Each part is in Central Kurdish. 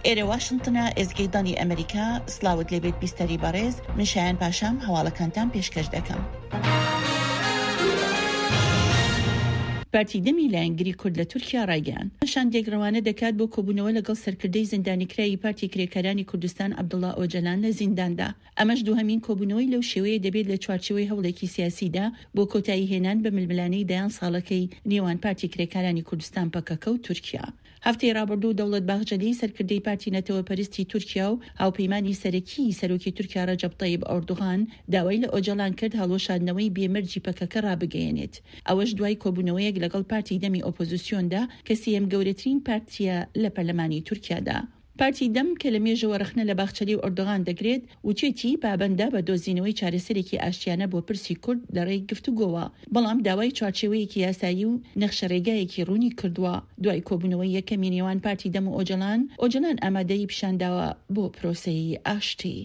ئێرە واشنتنە، ئێزگەی دەنگی ئەمریکا، سڵاوت لێبێت بیستەری بەڕێز، من شایان پاشام هەواڵەکانتان پێشکەش دەکەم. پارتی دەمی لایەنگری کورد لە تورکیا ڕایگەیاند، شاندێک ڕەوانە دەکات بۆ کۆبوونەوە لەگەڵ سەرکردەی زیندانیکراوی پارتی کرێکارانی کوردستان عەبدوڵا ئۆجەلان لە زینداندا. ئەمەش دووهەمین کۆبوونەوەی لەو شێوەیە دەبێت لە چوارچێوەی هەوڵێکی سیاسیدا بۆ کۆتایی هێنان بە ململانێی دەیان ساڵەکەی نێوان پارتی کرێکارانی کوردستان پەکەکە و تورکیا. هەفتەی ڕابردوو دەوڵەت باخجەلی سەرکردەی پارتی نەتەوەپەرستی تورکیا و هاوپەیمانی سەرەکیی سەرۆکی تورکیا ڕەجەب تەیب ئۆردوغان داوای لە ئۆجەلان کرد هەڵوەشاندنەوەی بێ مەرجی پەکەکە ڕابگەیەنێت ئەوەش دوای کۆبوونەوەیەک لەگەڵ پارتی دەمی ئۆپۆزسیۆندا کە سێیەم گەورەترین پارتییە لە پەرلەمانی تورکیادا. پارتی دەم کە لە مێژەوە ڕەخنە لە باخچەلی و ئەردۆغان دەگرێت، وتوێتی پابەندە بە دۆزینەوەی چارەسەرێکی ئاشتیانە بۆ پرسی کورد لە ڕێی گفتوگۆوە، بەڵام داوای چوارچێوەیەکی یاسایی و نەخشەڕێگایەکی ڕوونی کردووە. دوای کۆبوونەوەی یەکەمی نێوان پارتی دەم و ئۆجەلان، ئۆجەلان ئامادەیی پیشانداوە بۆ پرۆسەی ئاشتی.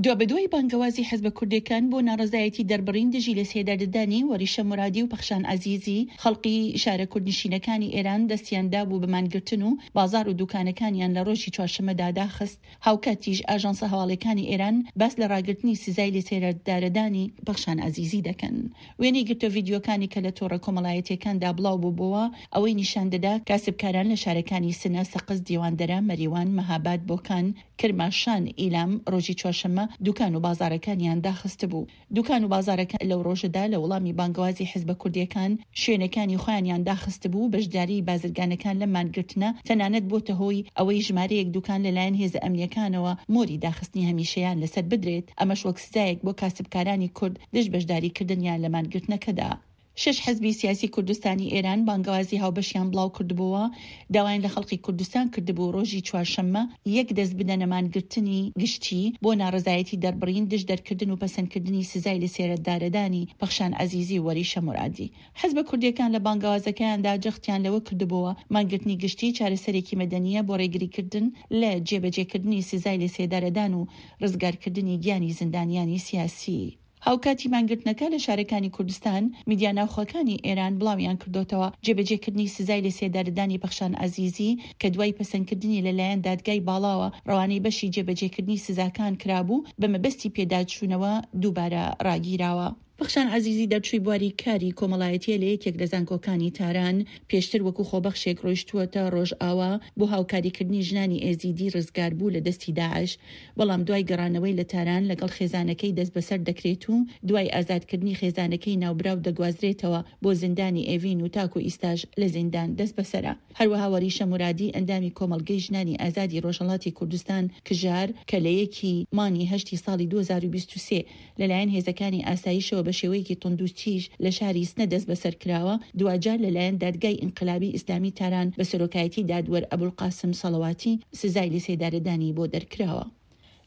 دوابەدوای بانگەوازی حزبە کوردێکان بۆ ناڕەزایەتی دەربڕین دژی لەسێداردەدانی وەریشە مورادی و پەخشان عەزیزی، خەڵقی شارە کوردنشینەکانی ئێران دەستیان دابوو بە مانگرتن و بازاڕ و دوکانەکانیان لە ڕۆژی چوارشەممەدا داخست. هاوکاتیش ئاژانسە هەواڵیەکانی ئێران باس لە ڕاگرتنی سزای لەسێدارەدانی پەخشان عەزیزی دەکەن. وێنەی گرتە ڤیدیۆکانی کە لە تۆڕە کۆمەڵایەتیەکاندا بڵاو بووبۆوە ئەوەی نیشان دەدا کاسبکاران لە شارەکانی سنە، سەقز، دیواندەرە، مەریوان، مەهاباد، بۆکان، کرماشان، ئیلام ڕۆژی چوارشەممە دوکان و بازاڕەکانیان داخستبوو. دوکان و بازاڕەکان لەو ڕۆژەدا لە وڵامی بانگەوازی حزبە کوردییەکان شوێنەکانی خۆیانیان داخستبوو و بەشداریی بازرگانەکان لەم مانگرتنە تەنانەت بۆتە هۆی ئەوەی ژمارەیەک دوکان لەلایەن هێزە ئەمنییەکانەوە مۆری داخستنی هەمیشەیان لەسەر بدرێت، ئەمەش وەک سزایەک بۆ کاسبکارانی کورد دژ بەشداریکردنیان لە مانگرتنەکەدا. شەش حزبی سیاسی کوردستانی ئێران بانگەوازی هاوبەشیان بڵاو کردبۆوە، داوایان لە خەڵقی کوردستان کردبوو ڕۆژی چوارشەممە یەک دەست بدەنە مانگرتنی گشتی بۆ ناڕەزایەتی دەربڕین دژ دەرکردن و پەسەندکردنی سزای لەسێرەدارەدانی پەخشان عەزیزی و وەریشە مورادی. حزبە کوردییەکان لە بانگەوازەکەیاندا جەختیان لەوە کردبۆوە مانگرتنی گشتی چارەسەرێکی مەدەنییە بۆ ڕێگریکردن لە جێبەجێکردنی سزای لەسێدارەدان و ڕزگارکردنی گیانی زیندانیانی سیاسی. هاوکاتی مانگرتنەکە لە شارەکانی کوردستان، میدیا ناوخۆکانی ئێران بڵاویان کردۆتەوە، جێبەجێکردنی سزای لەسێدارەدانی پەخشان عەزیزی کە دوای پەسەندکردنی لەلایەن دادگای باڵاوە ڕەوانەی بەشی جێبەجێکردنی سزاکان کرابوو، بە مەبەستی پێداچوونەوە دووبارە ڕاگیراوە. پەخشان عەزیزی دەرچووی بواری کاری کۆمەڵایەتییە لە یەکێک لە زانکۆکانی تاران، پێشتر وەکو خۆبەخشێک ڕۆیشتووەتە ڕۆژئاوا بۆ هاوکاریکردنی ژنانی ئێزیدی ڕزگاربوو لە دەستی داعش، بەڵام دوای گەڕانەوەی لە تاران لەگەڵ خێزانەکەی دەستبەسەر دەکرێت و دوای ئازادکردنی خێزانەکەی ناوبراو دەگوازرێتەوە بۆ زیندانی ئێڤین و تاکو ئیستاش لە زیندان دەستبەسەرە. هەروەها وەریشە مورادی ئەندامی کۆمەڵگەی ژنانی ئازادی ڕۆژهەڵاتی کوردستان، کژار، کە لە یەکی مانگی هەشتی ساڵی 2023 لەلایەن هێزەکانی ئاسایشەوە بە شێوەیەکی توندوتیژ لە شاری سنە دەستبەسەر کراوە، دواجار لەلایەن دادگای ئینقلابی ئیسلامی تاران بە سەرۆکایەتی دادوەر ئەبولقاسم سەڵەواتی سزای لەسێدارەدانی بۆ دەرکراوە.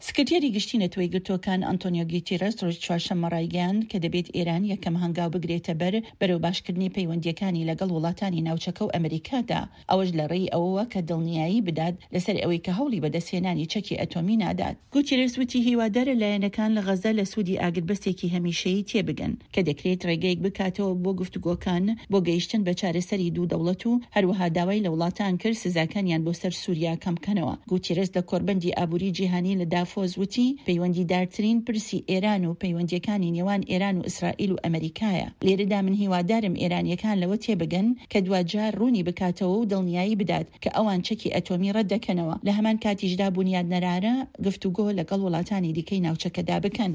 سکرتێری گشتی نەتەوەیەکگرتووەکان ئەنتۆنیۆ گیتیرس ڕۆژی چوارشەممە ڕایگەیاند کە دەبێت ئێران یەکەم هەنگاو بگرێتە بەر بەرەو باشکردنی پەیوەندییەکانی لەگەڵ وڵاتانی ناوچەکە و ئەمریکادا، ئەوەش لە ڕێی ئەوەوە کە دڵنیایی بدات لەسەر ئەوەی کە هەوڵی بەدەستهێنانی چەکی ئەتۆمی نادات. گوتیرێس وتی هیوادارە لایەنەکان لە غەزە لە سوودی ئاگربەستێکی هەمیشەیی تێبگەن کە دەکرێت ڕێگەیەک بکاتەوە بۆ گفتوگۆکان بۆ گەیشتن بە چارەسەری دوو دەوڵەت و هەروەها داوای لە وڵاتان کرد سزاکانیان بۆ سەر سوریا کەمبکەنەوە. گوتیرێس لە کۆڕبەندی ئابووری جیهانی لە دافۆس وتی پەیوەندیدارترین پرسی ئێران و پەیوەندییەکانی نێوان ئێران و ئیسرائیل و ئەمەریکایە. لێرەدا من هیوادارم ئێرانییەکان لەوە تێبگەن کە دواجار ڕوونی بکاتەوە و دڵنیایی بدات کە ئەوان چەکی ئەتۆمی ڕەتدەکەنەوە، لە هەمان کاتیشدا بونیادنەرانە گفتوگۆ لەگەڵ وڵاتانی دیکەی ناوچەکەدا بکەن.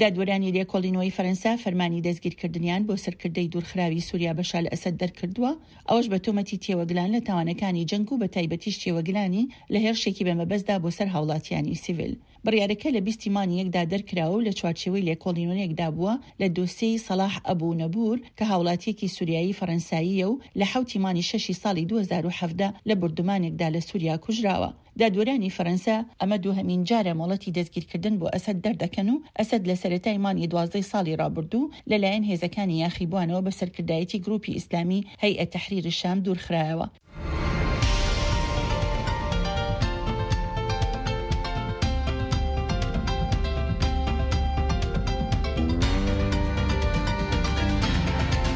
دادوەرانی لێکۆڵینەوەی فەرەنسا فەرمانی دەستگیرکردنیان بۆ سەرکردەی دوورخراوی سوریا بەشار ئەسەد دەرکردووە، ئەوەش بە تۆمەتی تێوەگلان لە تاوانەکانی جەنگ و بەتایبەتیش تێوەگلانی لە هێرشێکی بە مەبەستدا بۆ سەر هاوڵاتیانی سیڤیل. بڕیارەکە لە 20 ی مانگی یەکدا دەرکراوە و لە چوارچێوەی لێکۆڵینەوەیەکدا بووە لە دۆسێی سەڵاح ئەبو نەبور کە هاوڵاتییەکی سوریایی فەرەنساییە و لە حەوتی مانگی شەشی ساڵی 2017 لە بوردومانێکدا لە سوریا کوژراوە. دادوەرانی فەرەنسا ئەمە دووهەمین جارە مۆڵەتی دەستگیرکردن بۆ ئەسەد دەردەکەن و ئەسەد لە سەرەتای مانگی دوازدەی ساڵی ڕابردوو لەلایەن هێزەکانی یاخیبووانەوە بە سەرکردایەتی گروپی ئیسلامی هەیئە تەحریر شام دوورخرایەوە.